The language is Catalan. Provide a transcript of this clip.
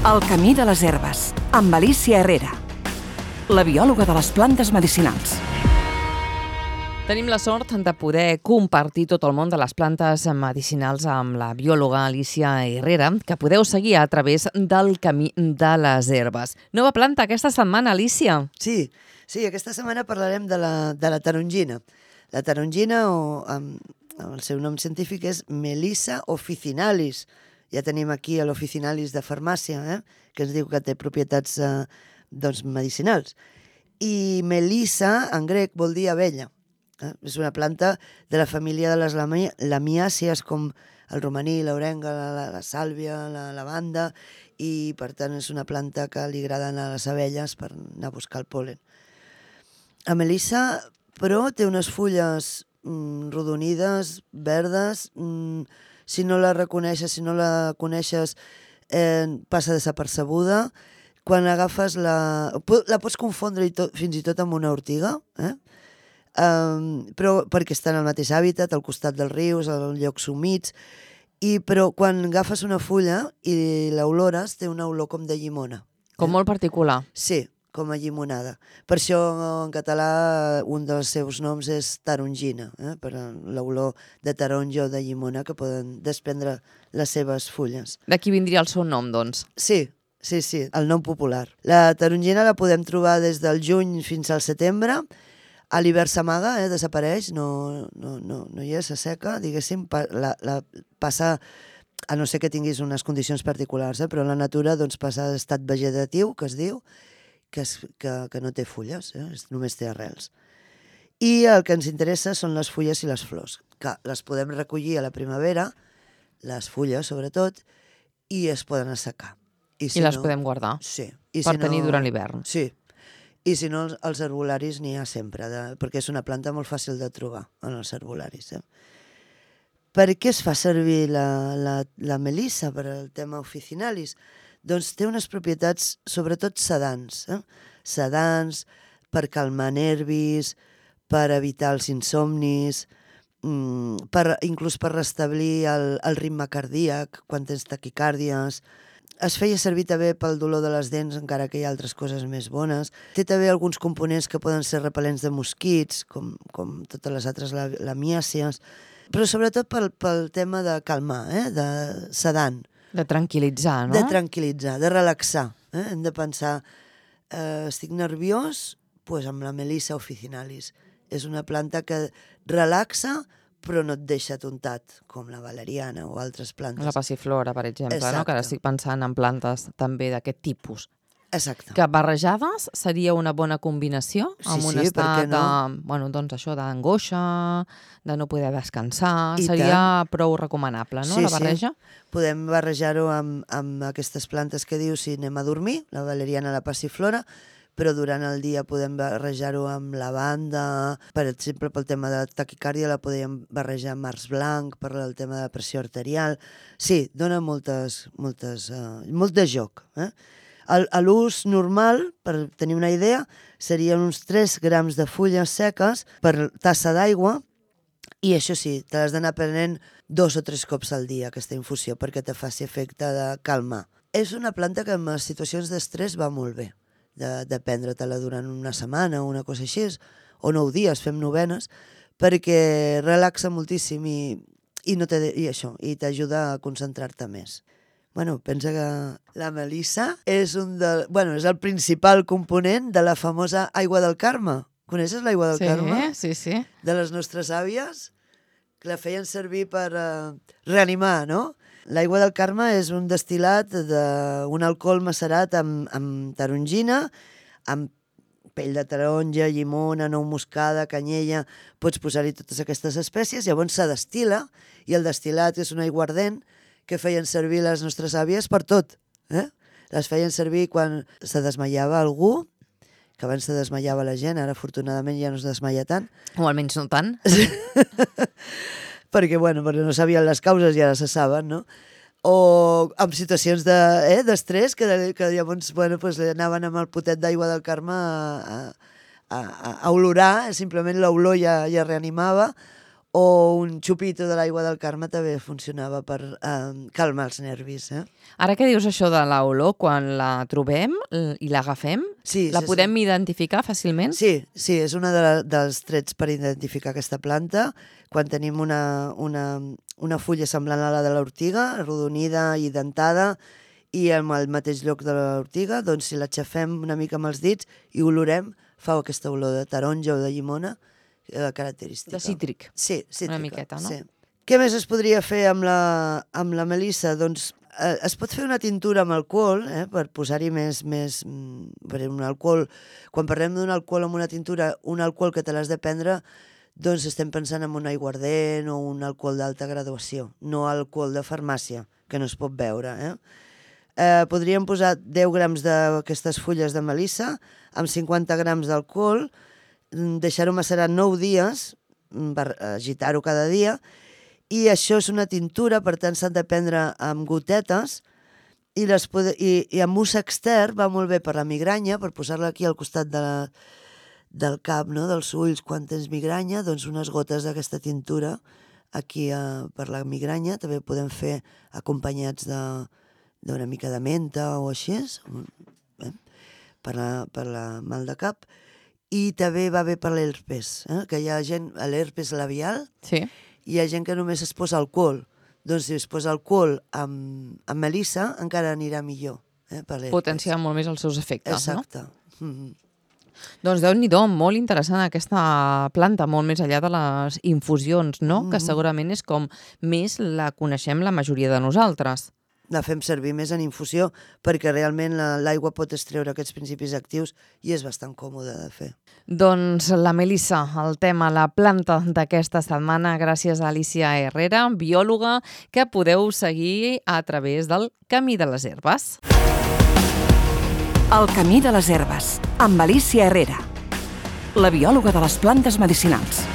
El camí de les herbes, amb Alícia Herrera, la biòloga de les plantes medicinals. Tenim la sort de poder compartir tot el món de les plantes medicinals amb la biòloga Alícia Herrera, que podeu seguir a través del camí de les herbes. Nova planta aquesta setmana, Alícia. Sí, aquesta setmana parlarem de la tarongina. La tarongina, el seu nom científic és Melissa officinalis. Ja tenim aquí l'officinalis de farmàcia, que ens diu que té propietats medicinals. I Melissa, en grec, vol dir abella. És una planta de la família de les lamiàcies, com el romaní, l'orenga, la sàlvia, la lavanda, i per tant és una planta que li agraden a les abelles per anar a buscar el pol·len. La Melissa, però, té unes fulles rodonides, verdes. Si no la reconeixes, si no la coneixes, passa desapercebuda. Quan agafes la pots confondre fins i tot amb una ortiga, però perquè està en el mateix hàbitat, al costat dels rius, als llocs humits, però quan agafes una fulla i l'olores, té una olor com de llimona. Com molt particular. Sí, com a llimonada. Per això en català un dels seus noms és tarongina, per l'olor de taronja o de llimona que poden desprendre les seves fulles. D'aquí vindria el seu nom, doncs. Sí, el nom popular. La tarongina la podem trobar des del juny fins al setembre. A l'hivern s'amaga, desapareix, no hi és, s'asseca, diguéssim, la passa, a no ser que tinguis unes condicions particulars, però la natura passa a estat vegetatiu, que es diu, que no té fulles, només té arrels. I el que ens interessa són les fulles i les flors, que les podem recollir a la primavera, les fulles sobretot, i es poden assecar. I les podem guardar per tenir durant l'hivern. Sí, i si no, els herbolaris n'hi ha sempre, perquè és una planta molt fàcil de trobar en els herbolaris. Per què es fa servir la melissa per al tema officinalis? Doncs té unes propietats, sobretot sedants. Sedants, per calmar nervis, per evitar els insomnis, inclús per restablir el ritme cardíac quan tens taquicàrdies. Es feia servir també pel dolor de les dents, encara que hi ha altres coses més bones. Té també alguns components que poden ser repel·lents de mosquits, com totes les altres lamiàcies, però sobretot pel tema de calmar, de sedant. De tranquil·litzar, no? De tranquil·litzar, de relaxar. Hem de pensar, estic nerviós? Doncs amb la Melissa officinalis. És una planta que relaxa, però no et deixa tontat, com la valeriana o altres plantes. La passiflora, per exemple, no? Que ara estic pensant en plantes també d'aquest tipus. Exacte. Que barrejades seria una bona combinació amb un estat d'angoixa, de no poder descansar. Seria prou recomanable, no, la barreja? Sí. Podem barrejar-ho amb aquestes plantes que dius si anem a dormir, la valeriana, la passiflora, però durant el dia podem barrejar-ho amb lavanda. Per exemple, pel tema de taquicàrdia la podem barrejar amb març blanc, per el tema de pressió arterial. Sí, dona molt de joc. A l'ús normal, per tenir una idea, serien uns 3 grams de fulles seques per tassa d'aigua, i això sí, te l'has d'anar prenent 2 o 3 cops al dia, aquesta infusió, perquè te faci efecte de calmar. És una planta que en les situacions d'estrès va molt bé, de prendre-te-la durant una setmana o una cosa així, o 9 dies, fem novenes, perquè relaxa moltíssim i t'ajuda a concentrar-te més. Pensa que la melissa és el principal component de la famosa aigua del Carme. Coneixes l'aigua del Carme? Sí. De les nostres àvies, que la feien servir per reanimar, no? L'aigua del Carme és un destil·lat d'un alcohol macerat amb tarongina, amb pell de taronja, llimona, nou moscada, canyella. Pots posar-hi totes aquestes espècies, llavors se destil·la, i el destil·lat és una aigua ardent que feien servir les nostres àvies per tot. Les feien servir quan se desmaiava algú, que abans se desmaiava la gent, ara afortunadament ja no es desmaia tant. O almenys no tant. Perquè no sabien les causes i ara se saben, no? O en situacions d'estrès, que llavors anaven amb el potet d'aigua del Carme a olorar, simplement l'olor ja reanimava, o un xupito de l'aigua del Carme també funcionava per calmar els nervis. Ara que dius això de l'olor, quan la trobem i l'agafem, la podem identificar fàcilment? Sí, és un dels trets per identificar aquesta planta. Quan tenim una fulla semblant a la de l'ortiga, arrodonida i dentada, i en el mateix lloc de l'ortiga, doncs si l'aixafem una mica amb els dits i olorem, fa aquesta olor de taronja o de llimona característica. De cítric. Sí, cítrica. Una miqueta, no? Sí. Què més es podria fer amb la melissa? Doncs es pot fer una tintura amb alcohol, per posar-hi més per un alcohol. Quan parlem d'un alcohol amb una tintura, un alcohol que te l'has de prendre, doncs estem pensant en un aiguardent o un alcohol d'alta graduació, no alcohol de farmàcia, que no es pot beure. Podríem posar 10 grams d'aquestes fulles de melissa amb 50 grams d'alcohol, deixar-ho macerar 9 dies, per agitar-ho cada dia, i això és una tintura, per tant s'han de prendre amb gotetes, i amb ús extern va molt bé per la migranya, per posar-la aquí al costat del cap, no? Dels ulls, quan tens migranya, doncs unes gotes d'aquesta tintura aquí per la migranya, també podem fer acompanyats d'una mica de menta o així, per la mal de cap. I també va bé per l'herpes, que hi ha gent, l'herpes labial, hi ha gent que només es posa alcohol. Doncs si es posa alcohol amb melissa, encara anirà millor. Potenciar molt més els seus efectes, exacte. No? Doncs Déu-n'hi-do, molt interessant aquesta planta, molt més enllà de les infusions, no? Que segurament és com més la coneixem la majoria de nosaltres. La fem servir més en infusió perquè realment l'aigua pot extreure aquests principis actius i és bastant còmode de fer. Doncs la melissa, el tema, la planta d'aquesta setmana, gràcies a Alícia Herrera, biòloga, que podeu seguir a través del Camí de les Herbes. El Camí de les Herbes, amb Alícia Herrera, la biòloga de les plantes medicinals.